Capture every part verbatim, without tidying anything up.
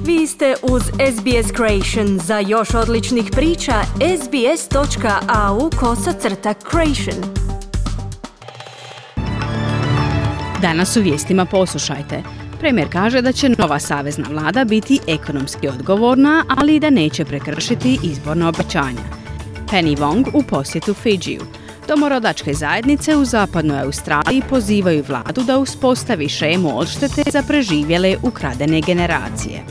Vi ste uz S B S Creation. Za još odličnih priča, sbs.au kosacrta creation. Danas u vijestima poslušajte. Premijer kaže da će nova savezna vlada biti ekonomski odgovorna, ali i da neće prekršiti izborna obećanja. Penny Wong u posjetu Fidžiju. Domorodačke zajednice u zapadnoj Australiji pozivaju vladu da uspostavi šemu odštete za preživjele ukradene generacije.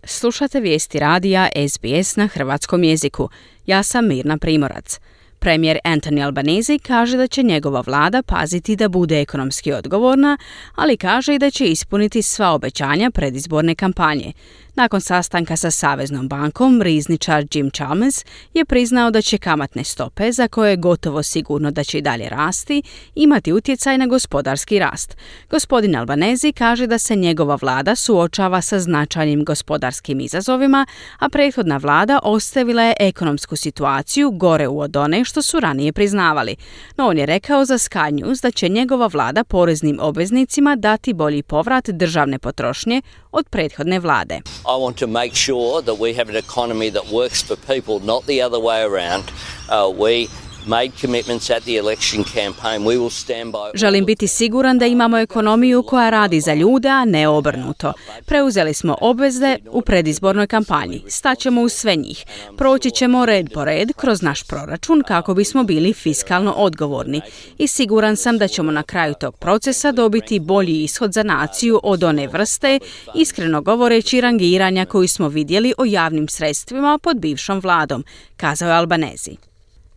Slušate vijesti radija S B S na hrvatskom jeziku. Ja sam Mirna Primorac. Premijer Anthony Albanese kaže da će njegova vlada paziti da bude ekonomski odgovorna, ali kaže i da će ispuniti sva obećanja predizborne kampanje. Nakon sastanka sa Saveznom bankom, rizničar Jim Chalmers je priznao da će kamatne stope, za koje je gotovo sigurno da će i dalje rasti, imati utjecaj na gospodarski rast. Gospodin Albanese kaže da se njegova vlada suočava sa značajnim gospodarskim izazovima, a prethodna vlada ostavila je ekonomsku situaciju gore od one što su ranije priznavali. No on je rekao za Sky News da će njegova vlada poreznim obveznicima dati bolji povrat državne potrošnje od prethodne vlade. I want to make sure that we have an economy that works for people, not the other way around. Uh, we made commitments at the election campaign. We will stand by. Želim biti siguran da imamo ekonomiju koja radi za ljude, a ne obrnuto. Preuzeli smo obveze u predizbornoj kampanji. Staćemo uz sve njih. Proći ćemo red po red kroz naš proračun kako bismo bili fiskalno odgovorni. I siguran sam da ćemo na kraju tog procesa dobiti bolji ishod za naciju od one vrste, iskreno govoreći, rangiranja koju smo vidjeli o javnim sredstvima pod bivšom vladom, kazao je Albanese.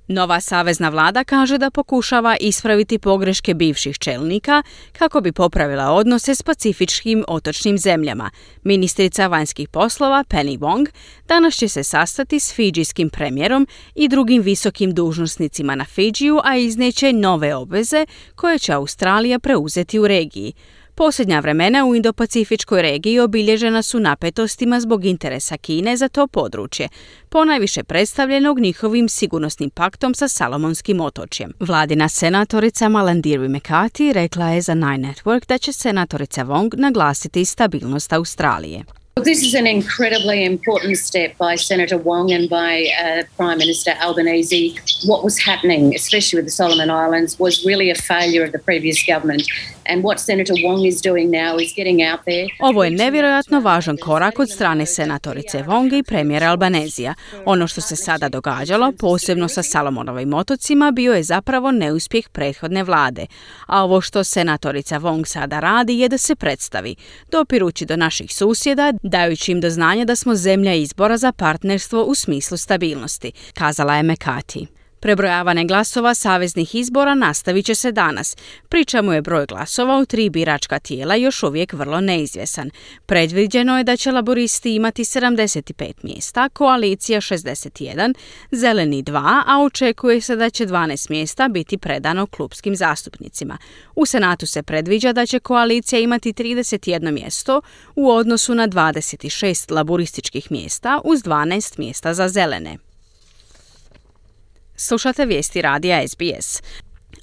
Nova savezna vlada kaže da pokušava ispraviti pogreške bivših čelnika kako bi popravila odnose s pacifičkim otočnim zemljama. Ministrica vanjskih poslova Penny Wong danas će se sastati s fidžijskim premijerom i drugim visokim dužnosnicima na Fidžiju, a izneće nove obveze koje će Australija preuzeti u regiji. Posljednja vremena u Indo-Pacifičkoj regiji obilježena su napetostima zbog interesa Kine za to područje, ponajviše predstavljenog njihovim sigurnosnim paktom sa Salomonskim otočjem. Vladina senatorica Malarndirri McCarthy rekla je za Nine Network da će senatorica Wong naglasiti stabilnost Australije. This is an incredibly important step by Senator Wong and by uh, Prime Minister Albanese. What was happening, especially with the Solomon Islands, was really a failure of the previous government. And what Senator Wong is doing now is getting out there. Ovo je nevjerojatno važan korak od strane senatorice Wong i premijera Albanesija. Ono što se sada događalo, posebno sa Salomonovim otocima, bio je zapravo neuspjeh prethodne vlade. A ovo što senatorica Wong sada radi je da se predstavi, dopirući do naših susjeda, dajući im do znanja da smo zemlja izbora za partnerstvo u smislu stabilnosti, kazala je McCarthy. Prebrojavanje glasova saveznih izbora nastavit će se danas, pri čemu je broj glasova u tri biračka tijela još uvijek vrlo neizvjesan. Predviđeno je da će laboristi imati sedamdeset pet mjesta, koalicija šezdeset jedan, zeleni dva, a očekuje se da će dvanaest mjesta biti predano klupskim zastupnicima. U Senatu se predviđa da će koalicija imati trideset jedno mjesto u odnosu na dvadeset šest laborističkih mjesta uz dvanaest mjesta za zelene. Slušate vijesti radija S B S.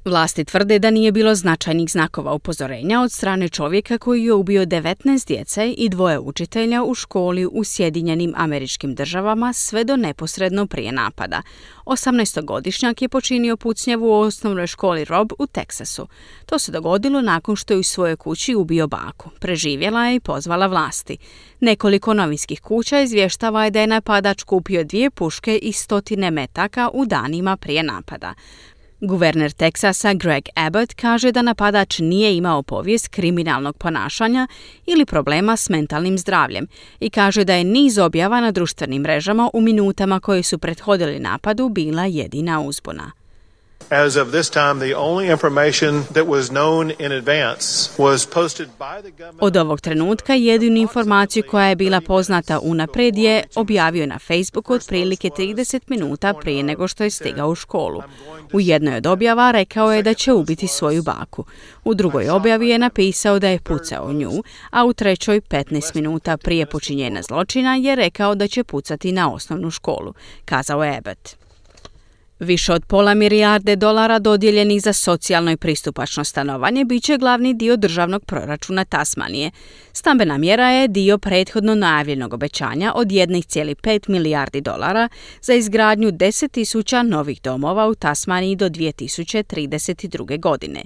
Vlasti tvrde da nije bilo značajnih znakova upozorenja od strane čovjeka koji je ubio devetnaest djece i dvoje učitelja u školi u Sjedinjenim Američkim Državama sve do neposredno prije napada. osamnaestogodišnjak je počinio pucnjavu u osnovnoj školi Robb u Teksasu. To se dogodilo nakon što je u svojoj kući ubio baku. Preživjela je i pozvala vlasti. Nekoliko novinskih kuća izvještava je da je napadač kupio dvije puške i stotine metaka u danima prije napada. Guverner Teksasa Greg Abbott kaže da napadač nije imao povijest kriminalnog ponašanja ili problema s mentalnim zdravljem i kaže da je niz objava na društvenim mrežama u minutama koje su prethodili napadu bila jedina uzbuna. As of this time, the only information that was known in advance was posted by the government. Od ovog trenutka jedinu informaciju koja je bila poznata unaprijed je objavio na Facebooku otprilike trideset minuta prije nego što je stigao u školu. U jednoj od objava rekao je da će ubiti svoju baku. U drugoj objavi je napisao da je pucao u nju, a u trećoj petnaest minuta prije počinjenja zločina je rekao da će pucati na osnovnu školu, kazao je Abbott. Više od pola milijarde dolara dodijeljenih za socijalno i pristupačno stanovanje bit će glavni dio državnog proračuna Tasmanije. Stambena mjera je dio prethodno najavljenog obećanja od jedan zarez pet milijardi dolara za izgradnju deset tisuća novih domova u Tasmaniji do dvije tisuće trideset druge. godine.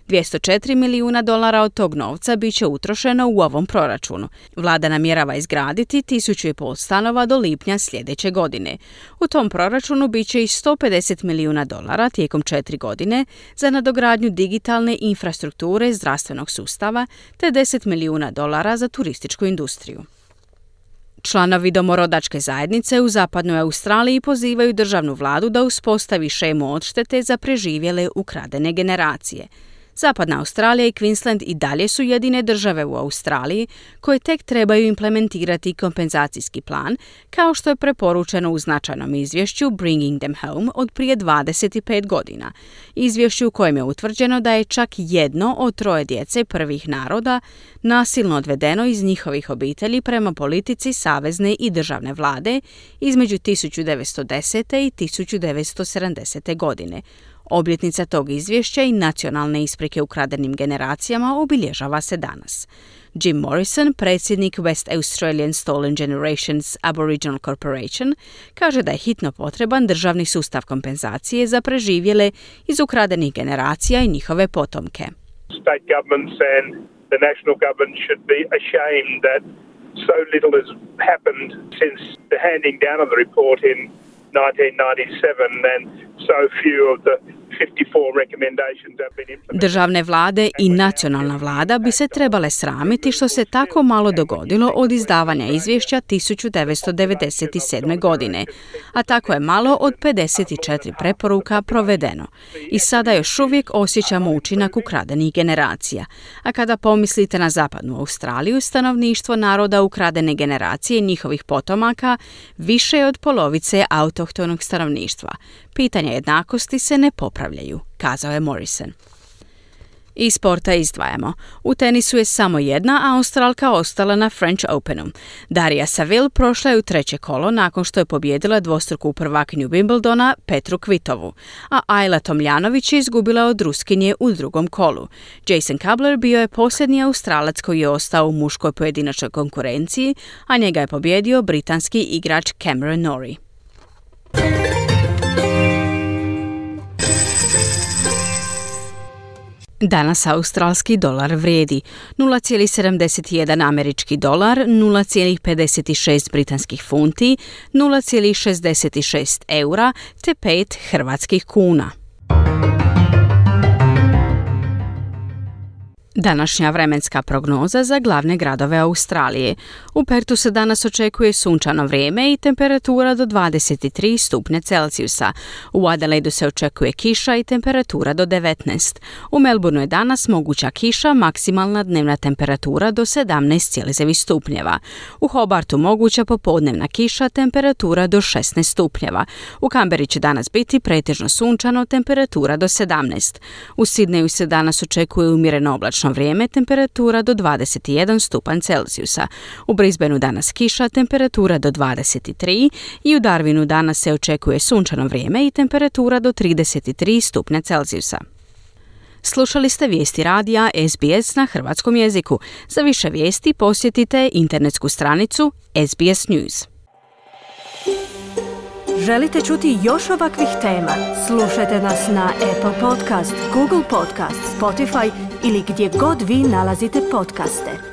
dvjesto četiri milijuna dolara od tog novca bit će utrošeno u ovom proračunu. Vlada namjerava izgraditi tisuću i pol stanova do lipnja sljedeće godine. U tom proračunu bit će i sto pedeset milijuna dolara tijekom četiri godine za nadogradnju digitalne infrastrukture zdravstvenog sustava te deset milijuna dolara za turističku industriju. Članovi domorodačke zajednice u zapadnoj Australiji pozivaju državnu vladu da uspostavi šemu odštete za preživjele ukradene generacije. Zapadna Australija i Queensland i dalje su jedine države u Australiji koje tek trebaju implementirati kompenzacijski plan, kao što je preporučeno u značajnom izvješću Bringing Them Home od prije dvadeset pet godina. Izvješću u kojem je utvrđeno da je čak jedno od troje djece prvih naroda nasilno odvedeno iz njihovih obitelji prema politici savezne i državne vlade između tisuću devetsto desete i tisuću devetsto sedamdesete. godine. Obljetnica tog izvješća i nacionalne isprike ukradenim generacijama obilježava se danas. Jim Morrison, predsjednik West Australian Stolen Generations Aboriginal Corporation, kaže da je hitno potreban državni sustav kompenzacije za preživjele iz ukradenih generacija i njihove potomke. State governments and the national government should be ashamed that so little has happened since the handing down of the report in nineteen ninety-seven and so few of the fifty-four recommendations have been implemented. Državne vlade i nacionalna vlada bi se trebale sramiti što se tako malo dogodilo od izdavanja izvješća tisuću devetsto devedeset sedme. godine, a tako je malo od pedeset četiri preporuka provedeno. I sada još uvijek osjećamo učinak ukradenih generacija. A kada pomislite na zapadnu Australiju, stanovništvo naroda ukradene generacije i njihovih potomaka više je od polovice autohtonog stanovništva. Pitanja jednakosti se ne popravljaju, kazao je Morrison. Iz sporta izdvajamo. U tenisu je samo jedna Australka ostala na French Openu. Darija Saville prošla je u treće kolo nakon što je pobijedila dvostruku prvakinju Wimbledona Petru Kvitovu, a Ajla Tomljanović je izgubila od Ruskinje u drugom kolu. Jason Kabler bio je posljednji Australac koji je ostao u muškoj pojedinačnoj konkurenciji, a njega je pobjedio britanski igrač Cameron Norrie. Danas australski dolar vrijedi nula zarez sedamdeset jedan američki dolar, nula zarez pedeset šest britanskih funti, nula zarez šezdeset šest eura te pet hrvatskih kuna. Današnja vremenska prognoza za glavne gradove Australije. U Pertu se danas očekuje sunčano vrijeme i temperatura do dvadeset tri stupnja Celzijusa. U Adelaidu se očekuje kiša i temperatura do devetnaest. U Melbourneu je danas moguća kiša, maksimalna dnevna temperatura do sedamnaest zarez devet stupnjeva. U Hobartu moguća popodnevna kiša, temperatura do šesnaest stupnjeva. U Canberri će danas biti pretežno sunčano, temperatura do sedamnaest. U Sidneju se danas očekuje umjereno oblačno vrijeme, temperatura do dvadeset jedan stupanj Celzijusa. U Brisbaneu danas kiša, temperatura do dvadeset tri i u Darwinu danas se očekuje sunčano vrijeme i temperatura do trideset tri stupnja Celzijusa. Slušali ste vijesti radija S B S na hrvatskom jeziku. Za više vijesti posjetite internetsku stranicu S B S News. Želite čuti još ovakvih tema? Slušajte nas na Apple Podcast, Google Podcast, Spotify ili gdje god vi nalazite podcaste.